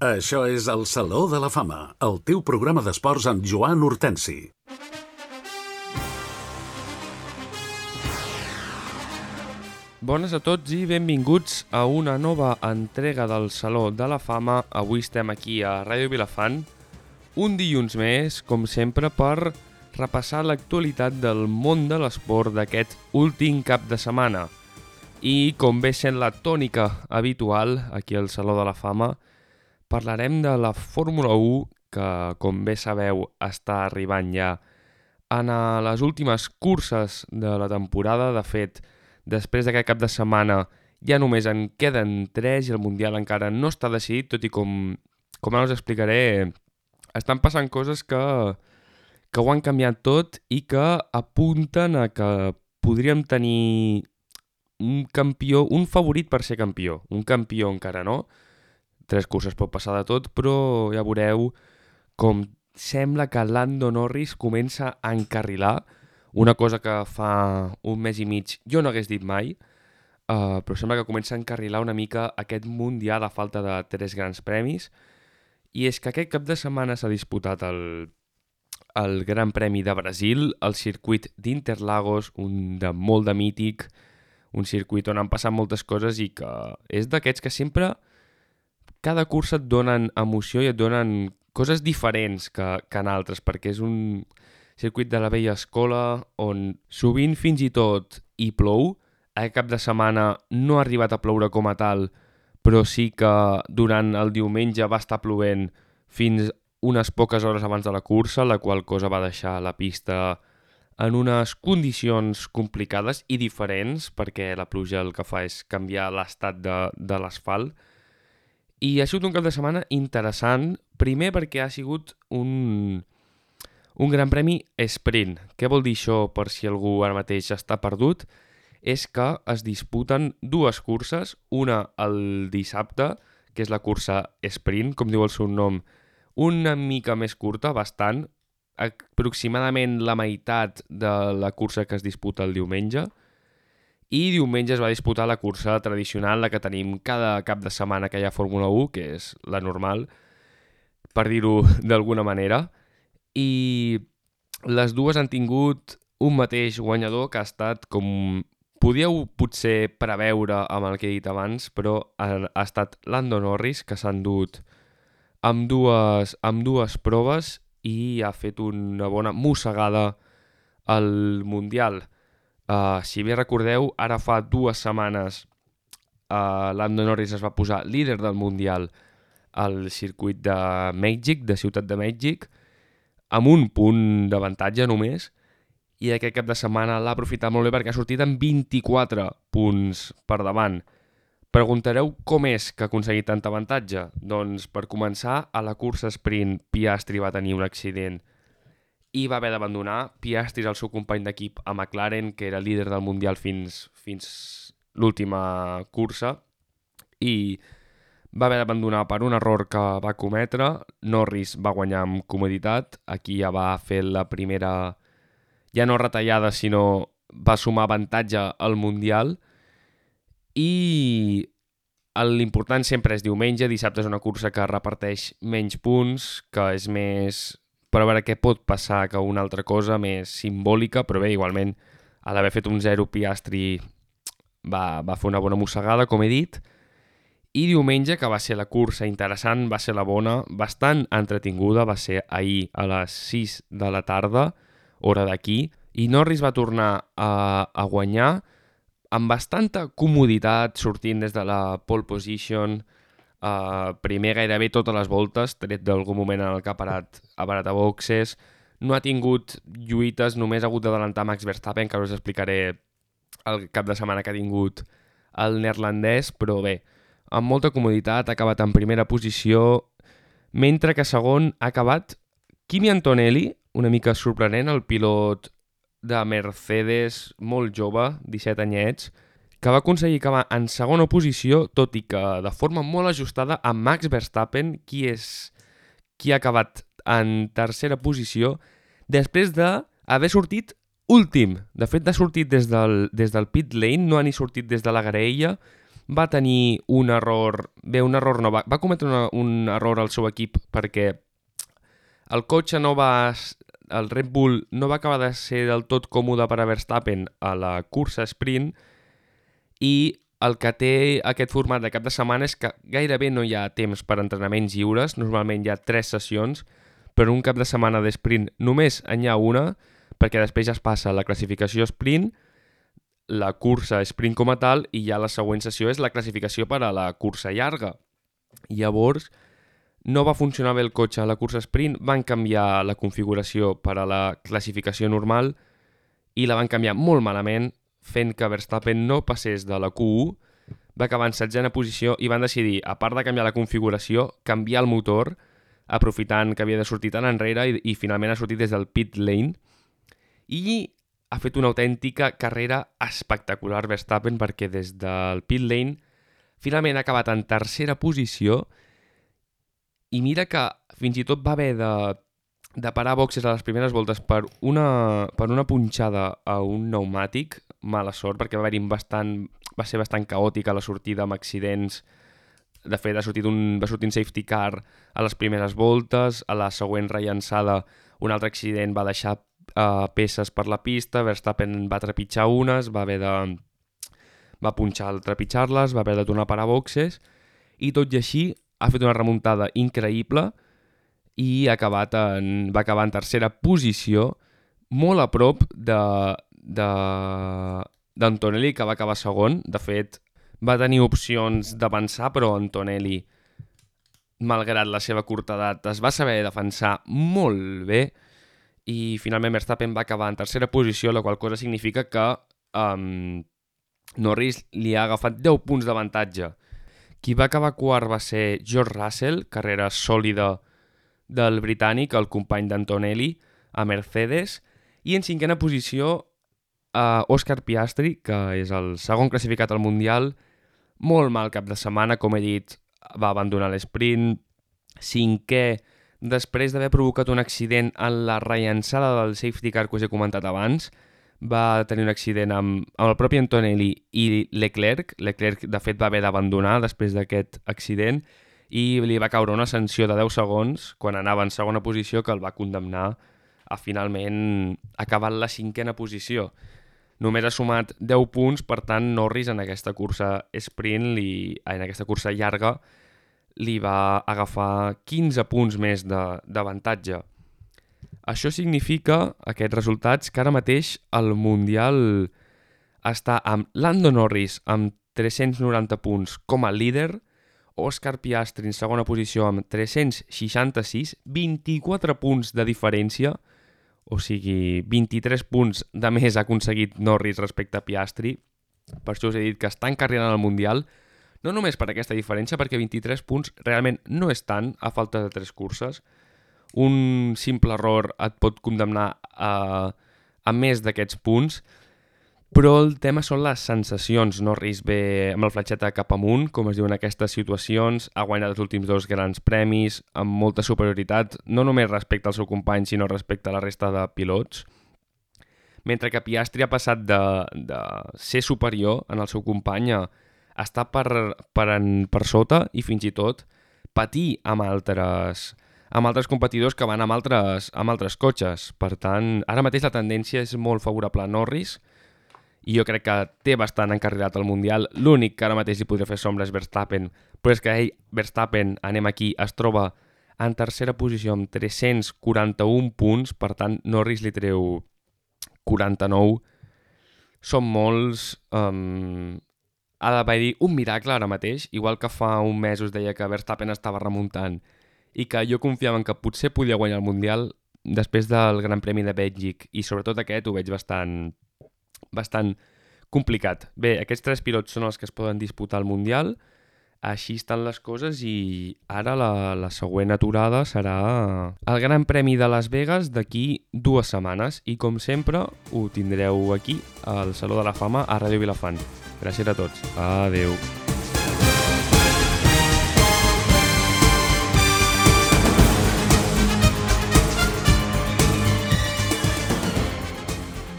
Això és el Saló de la Fama, el teu programa d'esports amb Joan Hortensi. Bones a tots i benvinguts a una nova entrega del Saló de la Fama. Avui estem aquí a Ràdio Vilafant, un dilluns més, com sempre, per repassar l'actualitat del món de l'esport d'aquest últim cap de setmana. I, com ve sent la tònica habitual aquí al Saló de la Fama, parlarem de la Fórmula 1, que, com bé sabeu, està arribant ja en les últimes curses de la temporada. De fet, després d'aquest cap de setmana ja només en queden 3 i el Mundial encara no està decidit, tot i com ara us explicaré, estan passant coses que ho han canviat tot i que apunten a que podríem tenir un campió, un favorit per ser campió. Un campió encara no, 3 curses pot passar de tot, però ja veureu com sembla que Lando Norris comença a encarrilar, una cosa que fa un mes i mig jo no hagués dit mai, però sembla que comença a encarrilar una mica aquest Mundial a falta de 3 grans premis. I és que aquest cap de setmana s'ha disputat el Gran Premi de Brasil, el circuit d'Interlagos, un de molt de mític, un circuit on han passat moltes coses i que és d'aquests que sempre, cada cursa et donen emoció i et donen coses diferents que en altres, perquè és un circuit de la vella escola on sovint fins i tot hi plou. Aquest cap de setmana no ha arribat a ploure com a tal, però sí que durant el diumenge va estar plovent fins unes poques hores abans de la cursa, la qual cosa va deixar la pista en unes condicions complicades i diferents, perquè la pluja el que fa és canviar l'estat de l'asfalt. I ha sigut un cap de setmana interessant, primer perquè ha sigut un gran premi sprint. Què vol dir això, per si algú ara mateix està perdut? És que es disputen 2 curses, una el dissabte, que és la cursa sprint, com diu el seu nom, una mica més curta, bastant, aproximadament la meitat de la cursa que es disputa el diumenge, i diumenge es va disputar la cursa tradicional, la que tenim cada cap de setmana que hi ha Fórmula 1, que és la normal, per dir-ho d'alguna manera, i les dues han tingut un mateix guanyador que ha estat, com podíeu potser preveure amb el que he dit abans, però ha estat Lando Norris, que s'ha endut amb dues proves i ha fet una bona mossegada al Mundial. Si bé recordeu, ara fa 2 setmanes Lando Norris es va posar líder del Mundial al circuit de Mèxic, de Ciutat de Mèxic, amb un punt d'avantatge només, i aquest cap de setmana l'ha aprofitat molt bé perquè ha sortit amb 24 punts per davant. Preguntareu com és que ha aconseguit tant avantatge? Doncs per començar, a la cursa sprint Piastri va tenir un accident i va haver d'abandonar. Piastri és el seu company d'equip a McLaren, que era líder del Mundial fins l'última cursa, i va haver d'abandonar per un error que va cometre. Norris va guanyar amb comoditat, aquí ja va fer la primera, ja no retallada, sinó va sumar avantatge al Mundial, i l'important sempre és diumenge. Dissabte és una cursa que reparteix menys punts, que és més per veure què pot passar que una altra cosa, més simbòlica, però bé, igualment, a l'haver fet un 0, Piastri va fer una bona mossegada, com he dit. I diumenge, que va ser la cursa interessant, va ser la bona, bastant entretinguda, va ser ahir a les 6 de la tarda, hora d'aquí, i Norris va tornar a guanyar amb bastanta comoditat, sortint des de la pole position, primer gairebé totes les voltes, tret d'algun moment en el que ha parat a boxes. No ha tingut lluites, només ha hagut d'adelantar Max Verstappen, que ara us explicaré el cap de setmana que ha tingut el neerlandès, però bé, amb molta comoditat, ha acabat en primera posició, mentre que segon ha acabat Kimi Antonelli, una mica sorprenent, el pilot de Mercedes, molt jove, 17 anyets, que va aconseguir acabar en segona posició, tot i que de forma molt ajustada a Max Verstappen, qui ha acabat en tercera posició, després d'haver sortit últim. De fet, ha sortit des del pit lane, no ha ni sortit des de la graella, va tenir un error... Bé, un error no, va cometre un error al seu equip perquè el cotxe no va... El Red Bull no va acabar de ser del tot còmode per a Verstappen a la cursa sprint i el que té aquest format de cap de setmana és que gairebé no hi ha temps per entrenaments lliures, normalment hi ha 3 sessions, però un cap de setmana de sprint només n'hi ha una, perquè després ja es passa la classificació sprint, la cursa sprint com a tal, i ja la següent sessió és la classificació per a la cursa llarga. Llavors, no va funcionar bé el cotxe a la cursa sprint, van canviar la configuració per a la classificació normal i la van canviar molt malament, fent que Verstappen no passés de la Q1, va acabar en 7ena posició i van decidir, a part de canviar la configuració, canviar el motor, aprofitant que havia de sortir tan enrere i finalment ha sortit des del pit lane i ha fet una autèntica carrera espectacular Verstappen perquè des del pit lane finalment ha acabat en 3ª posició i mira que fins i tot va haver de parar boxes a les primeres voltes per una punxada a un pneumàtic, mala sort, perquè va ser bastant caòtica la sortida amb accidents. De fet, va sortir un safety car a les primeres voltes, a la següent rellançada un altre accident va deixar peces per la pista, Verstappen va trepitjar unes, va punxar al trepitjar-les, va haver de tornar a parar boxes i tot i així ha fet una remuntada increïble i va acabar en 3ª posició, molt a prop d'Antonelli, que va acabar segon. De fet, va tenir opcions d'avançar, però Antonelli, malgrat la seva curta edat, es va saber defensar molt bé i finalment Verstappen va acabar en 3ª posició, la qual cosa significa que Norris li ha agafat 10 punts d'avantatge. Qui va acabar quart va ser George Russell, carrera sòlida del britànic, el company d'Antonelli, a Mercedes, i en 5ena posició Oscar Piastri, que és el segon classificat al Mundial, molt mal cap de setmana, com he dit, va abandonar l'esprint, 5è, després d'haver provocat un accident en la rellançada del safety car que us he comentat abans, va tenir un accident amb el propi Antonelli i Leclerc. Leclerc, de fet, va haver d'abandonar després d'aquest accident i li va caure una sanció de 10 segons quan anava en segona posició que el va condemnar a finalment acabar en la 5ª posició. Només ha sumat 10 punts, per tant, Norris en aquesta cursa sprint, en aquesta cursa llarga, li va agafar 15 punts més d'avantatge. Això significa, aquests resultats, que ara mateix el Mundial està amb Lando Norris amb 390 punts com a líder, Oscar Piastri en segona posició amb 366, 24 punts de diferència, o sigui, 23 punts de més ha aconseguit Norris respecte a Piastri. Per això us he dit que està encarrilant el Mundial, no només per aquesta diferència, perquè 23 punts realment no és tant a falta de 3 curses. Un simple error et pot condemnar a més d'aquests punts, però el tema són les sensacions. Norris ve amb el fletxeta cap amunt, com es diu en aquestes situacions, ha guanyat els últims 2 grans premis amb molta superioritat, no només respecte al seu company, sinó respecte a la resta de pilots. Mentre que Piastri ha passat de ser superior en el seu company a estar per sota i fins i tot patir amb altres competidors que van amb altres cotxes. Per tant, ara mateix la tendència és molt favorable a Norris i jo crec que té bastant encarrilat el Mundial. L'únic que ara mateix hi podria fer sombra és Verstappen, però és que Verstappen, anem aquí, es troba en 3ª posició amb 341 punts, per tant, Norris li treu 49. Són molts... Ha d'haver-hi un miracle ara mateix, igual que fa un mes us deia que Verstappen estava remuntant i que jo confiava en que potser podia guanyar el Mundial després del Gran Premi de Bèlgic i sobretot aquest ho veig bastant complicat. Bé, aquests 3 pilots són els que es poden disputar el Mundial, així estan les coses i ara la següent aturada serà el Gran Premi de Las Vegas d'aquí 2 setmanes i com sempre ho tindreu aquí al Saló de la Fama a Ràdio Vilafant. Gràcies a tots. Adeu.